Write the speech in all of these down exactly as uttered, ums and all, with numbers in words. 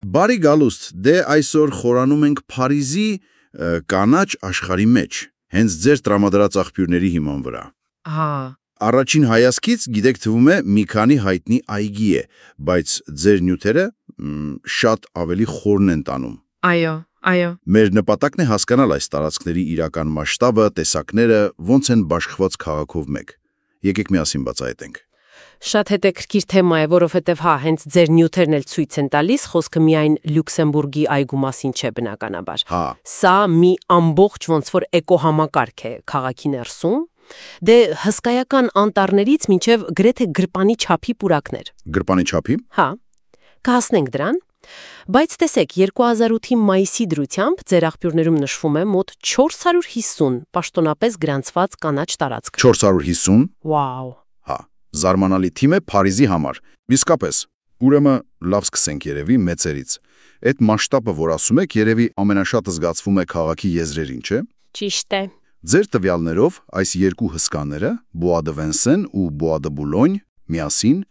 Բարի գալուստ, դե այսօր խորանում ենք Փարիզի կանաչ աշխարհի մեջ, հենց ձեր տրամադրած աղբյուրների հիման վրա։ Հա։ Առաջին հայացքից գիտեք թվում է մի քանի հայտնի այգի է, բայց ձեր նյութերը շատ ավելի խորն են տանում։ Այո, այո։ Մեր նպատակն է հասկանալ այս տարածքների իրական մասշտաբը, տեսակները, ոնց են բաշխված քաղաքով մեկ։ Եկեք միասին բացահայտենք։ Շատ հետաքրքիր թեմա է, որովհետև հա, հենց ձեր նյութերն էլ ցույց են տալիս, խոսքը միայն Լյուքսեմբուրգի այգու մասին չէ բնականաբար։ Հա։ Սա մի ամբողջ ոնց որ էկոհամակարգ է քաղաքի ներսում, դե հսկայական անտառներից մինչև գրեթե գրպանի չափի պուրակներ։ Գրպանի չափի։ Հա։ Կհասնենք դրան։ Բայց տեսեք, երկու հազար ութի մայիսի դրությամբ ձեր աղբյուրներում նշվում է մոտ չորս հարյուր հիսուն պաշտոնապես գրանցված կանաչ տարածք։ չորս հարյուր հիսուն։ Վաու։ Հա, զարմանալի թիմ է Փարիզի համար։ Իսկապես, ուրեմն լավ սկսենք երևի մեծերից։ Այդ մասշտաբը, որ ասում եք, երևի ամենաշատը զգացվում է քաղաքի եզրերին, չէ՞։ Ճիշտ է։ Ձեր տվյալներով այս երկու հսկաները, Bois de Vincennes ու Bois de Boulogne, միասին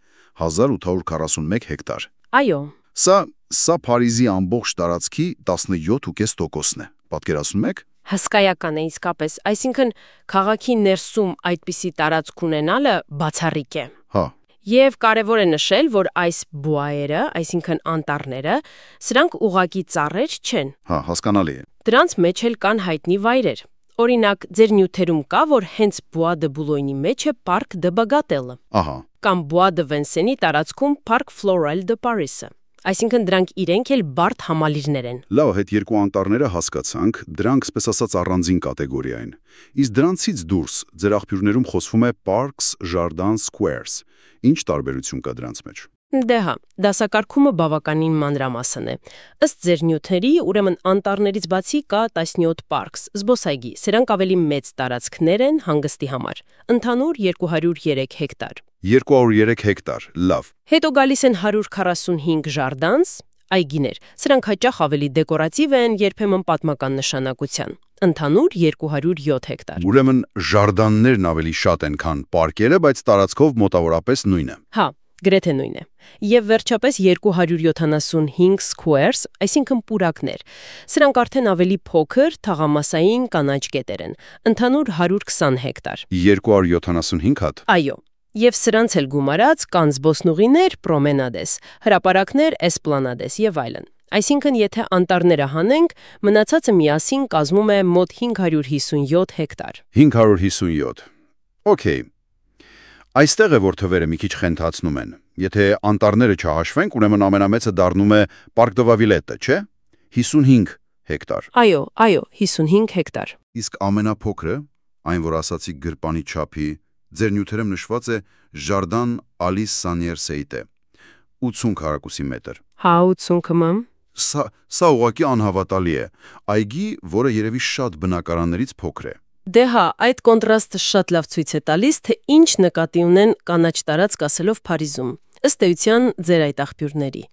հազար ութ հարյուր քառասունմեկ հեկտար։ Այո։ Սա սա Փարիզի ամբողջ տարածքի տասնյոթ տոկոս տոկոսն է։ Պատկերացնում եք։ Հսկայական է իսկապես, այսինքն քաղաքի ներսում այդպիսի տարածք ունենալը բացառիկ է։ Հա։ Եվ կարևոր է նշել, որ այս բուայերը, այսինքն անտառները, սրանք ուղղակի ծառեր չեն։ Հա, հասկանալի է։ Դրանց մեջ էլ կան հայտնի վայրեր։ Օրինակ, ձեր նյութերում կա, որ հենց Bois de Boulogne-ի մեջ է Parc de Bagatelle, Ահա։ կամ Bois de Vincennes-ի տարածքում Parc Floral de Paris-ը։ Այսինքն դրանք իրենք էլ բարդ համալիրներ են։ Լավ, այդ երկու անտառները հասկացանք, դրանք, ասես ասած, առանձին կատեգորիա են։ Իսկ դրանցից դուրս ձեր աղբյուրներում խոսվում է Parks, Jardins, Squares։ Ինչ տարբերություն կա դրանց մեջ։ Դե հա, դասակարգումը բավականին մանրամասն է։ Ըստ ձեր նյութերի, ուրեմն անտառներից բացի կա տասնյոթ parks, զբոսայգի, սրանք ավելի մեծ տարածքներ են հանգստի համար։ Ընդհանուր երկու հարյուր երեք հեկտար։ երկու հարյուր երեք հեկտար, լավ։ Հետո գալիս են հարյուր քառասունհինգ jardins, այգիներ։ Սրանք հաճախ ավելի դեկորատիվ են, երբեմն պատմական նշանակության։ Ընդհանուր երկու հարյուր յոթ հեկտար։ Ուրեմն ժարդաններն ավելի շատ են, քան պարկերը, բայց տարածքով մոտավորապես նույնը։ Հա, գրեթե նույն է։ Եվ վերջապես երկու հարյուր յոթանասունհինգ squares, այսինքն պուրակներ։ Սրանք արդեն ավելի փոքր, թաղամասային կանաչ գետեր են։ Ընդհանուր հարյուր քսան հեկտար։ երկու հարյուր յոթանասունհինգ հատ։ Այո։ Եվ սրանց էլ գումարած կան զբոսնուղիներ, պրոմենադես, հրապարակներ, էսպլանադես եւ այլն։ Այսինքն, եթե անտառները հանենք, մնացածը միասին կազմում է մոտ հինգ հարյուր հիսունյոթ հեկտար։ հինգ հարյուր հիսունյոթ։ Okay։ Այստեղ է, որ թվերը մի քիչ խենթացնում են։ Եթե անտառները չհաշվենք, ուրեմն ամենամեծը դառնում է Parc de la Villette, չէ՞։ հիսունհինգ հեկտար։ Այո, այո, հիսունհինգ հեկտար։ Իսկ ամենափոքրը, այն որ ասացի գրպանի չափի, ձեր նյութերում նշված է Jardin Alice Sanier-Seite, ութսուն քառակուսի մետր։ Հա, ութսուն կմ։ Սա սա ուղղակի անհավատալի է։ Այգի, որը երևի շատ բնակարաններից փոքր է։ Դե հա, այդ կոնտրաստը շատ լավ ցույց է տալիս, թե ինչ նկատի ունեն կանաչ տարածք ասելով Փարիզում։ Ըստ էության ձեր այդ աղբյուրների։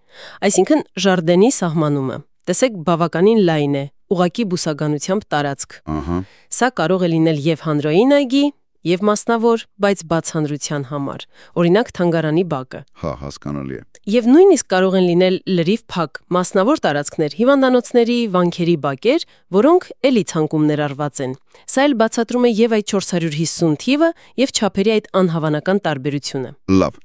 Այսինքն Ժարդենի սահմանումը։ Տեսեք, բավականին լայն է, ուղղակի բուսականությամբ տարածք։ Ահա։ Սա կարող է լինել եւ հանրային այգի, եւ մասնավոր, բայց բաց հանրության համար, օրինակ թանգարանի բակը։ Հա, հասկանալի է։ Եվ նույնիսկ կարող են լինել լրիվ փակ, մասնավոր տարածքներ, հիվանդանոցների, վանքերի բակեր, որոնք էլի ցանկում ներառված են։ Սա էլ բացատրում է եւ այդ չորս հարյուր հիսուն թիվը եւ չափերի այդ անհավանական տարբերությունը։ Լավ։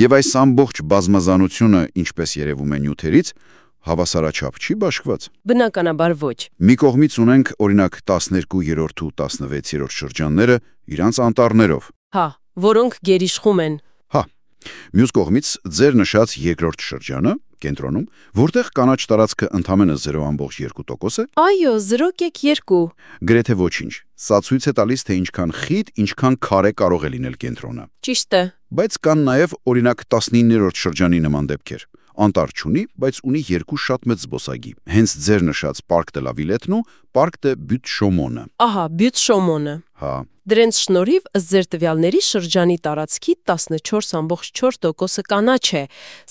Եվ այս ամբողջ բազմազանությունը, ինչպես երևում է նյութերից, հավասարաչափ չի բաշխված։ Բնականաբար ոչ։ Մի կողմից ունենք, օրինակ, տասներկուերորդ ու տասնվեցերորդ շրջանները իրանց անտառներով։ Հա, որոնք գերիշխում են։ Հա։ Մյուս կողմից ձեր նշած երկրորդ շրջանը, կենտրոնում, որտեղ կանաչ տարածքը ընդամենը զիրո կόμma երկու տոկոս է։ Այո, զիրո կόμma երկու։ Գրեթե ոչինչ։ Սա ցույց է տալիս, թե ինչքան խիտ, ինչքան քարե կարող է լինել կենտրոնը։ Ճիշտ է։ Բայց կան նաև, օրինակ, տասնիններորդ շրջանի նման դեպքեր։ Անտառ չունի, բայց ունի երկու շատ մեծ զբոսայգի։ Հենց ձեր նշած Parc de la Villette-ն ու Parc de Butte-Chaumont-ը։ Ահա, Butte-Chaumont-ը։ Հա։ Դրանց շնորհիվ ըստ ձեր տվյալների շրջանի տարածքի տասնչորս կόμma չորս տոկոսը կանաչ է։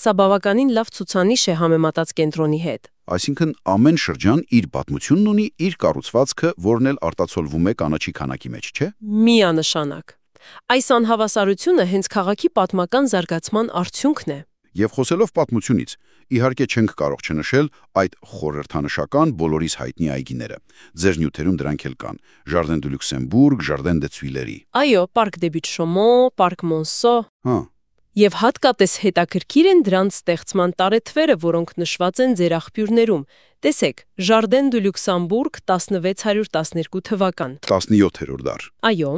Սա բավականին լավ ցուցանիշ է համեմատած կենտրոնի հետ։ Այսինքն ամեն շրջան իր պատմությունն ունի, իր կառուցվածքը, որն էլ արտացոլվում է կանաչի քանակի մեջ, չէ՞։ Միանշանակ։ Այս անհավասարությունը հենց քաղաքի պատմական զարգացման արդյունքն է։ Եվ խոսելով պատմությունից, իհարկե չենք կարող չնշել այդ խորհրդանշական բոլորիս հայտնի այգիները։ Ձեր նյութերում դրանք էլ կան. Jardin de Luxembourg, Jardin des Tuileries։ Այո, Parc des Buttes-Chaumont, Parc Monceau։ Հա, Եվ հատկապես հետաքրքիր են դրանց ստեղծման տարեթվերը, որոնք նշված են ձեր աղբյուրներում։ Տեսեք, Jardin de Luxembourg տասնվեց հարյուր տասներկու թվական։ տասնյոթերորդ դար։ Այո,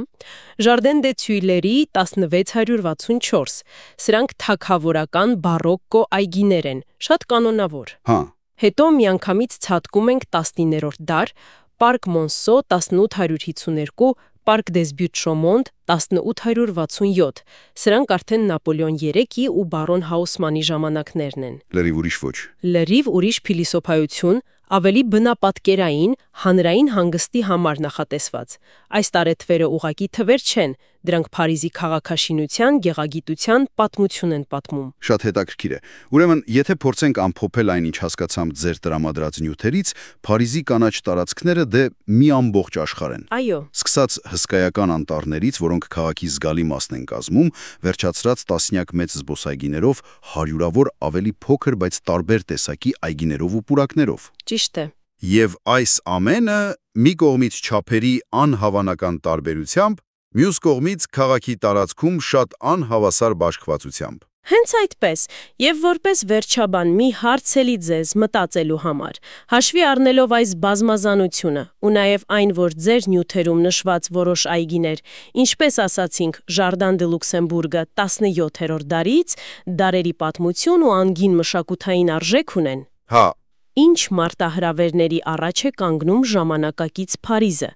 Jardin des Tuileries տասնվեց հարյուր վաթսունչորս։ Սրանք թագավորական բարոկկո այգիներ են, շատ կանոնավոր։ Հա, Հետո միանգամից ցատկում ենք տասնիններորդ դար, Parc Monceau տասնութ հարյուր հիսուներկու, Parc des Buttes-Chaumont տասնութ հարյուր վաթսունյոթ։ Սրանք արդեն Նապոլեոն երեքի ու բարոն Հաուսմանի ժամանակներն են։ լրիվ ուրիշ ոչ։ Լրիվ ուրիշ փիլիսոփայություն, ավելի բնապատկերային, հանրային հանգստի համար նախատեսված։ Այս տարեթվերը ուղակի թվեր չեն, դրանք Փարիզի քաղաքաշինության, գեղագիտության պատմություն են պատմում։ Շատ հետաքրքիր է։ Ուրեմն, եթե փորձենք ամփոփել այն, ինչ հասկացամ ձեր տրամադրած նյութերից, Փարիզի կանաչ տարածքները դե մի ամբողջ աշխարհ են։ Այո, Սկսած հսկայական անտառներից, որոնք քաղաքի զգալի մասն են կազմում, վերջացրած տասնյակ մեծ զբոսայգիներով, հարյուրավոր ավելի փոքր, բայց տարբեր տեսակի այգիներով ու պուրակներով։ ճիշտ է։ Եվ այս ամենը մի կողմից չափերի անհավանական տարբերությամբ, մյուս կողմից քաղաքի տարածքում շատ անհավասար բաշխվածությամբ։ Հենց այդպես, եւ որպես վերջաբան մի հարց էլի ձեզ մտածելու համար, հաշվի առնելով այս բազմազանությունը ու նաեւ այն, որ ձեր նյութերում նշված որոշ այգիներ, ինչպես ասացինք, Jardin de Luxembourg-ը տասնյոթերորդ դարից, դարերի պատմություն ու անգին մշակութային արժեք ունեն։ Հա, Ինչ մարտահրավերների առաջ է կանգնում ժամանակակից Փարիզը։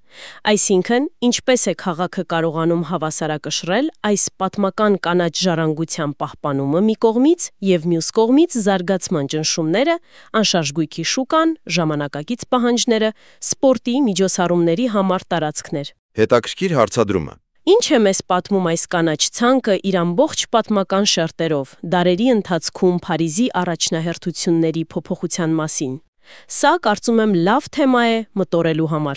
Այսինքն, ինչպես է քաղաքը կարողանում հավասարակշռել այս պատմական կանաչ ժառանգության պահպանումը մի կողմից եւ մյուս կողմից զարգացման ճնշումները, անշարժ գույքի շուկան, ժամանակակից պահանջները, սպորտի, միջոցառումների համար տարածքներ։ Հետաքրքիր հարցադրումը։ Ինչ է մեզ պատմում այս կանաչ ցանկը իր ամբողջ պատմական շերտերով, դարերի ընթացքում Փարիզի առաջնահերթությունների փոփոխության մասին։ Սա, կարծում եմ, լավ թեմա է մտորելու համար։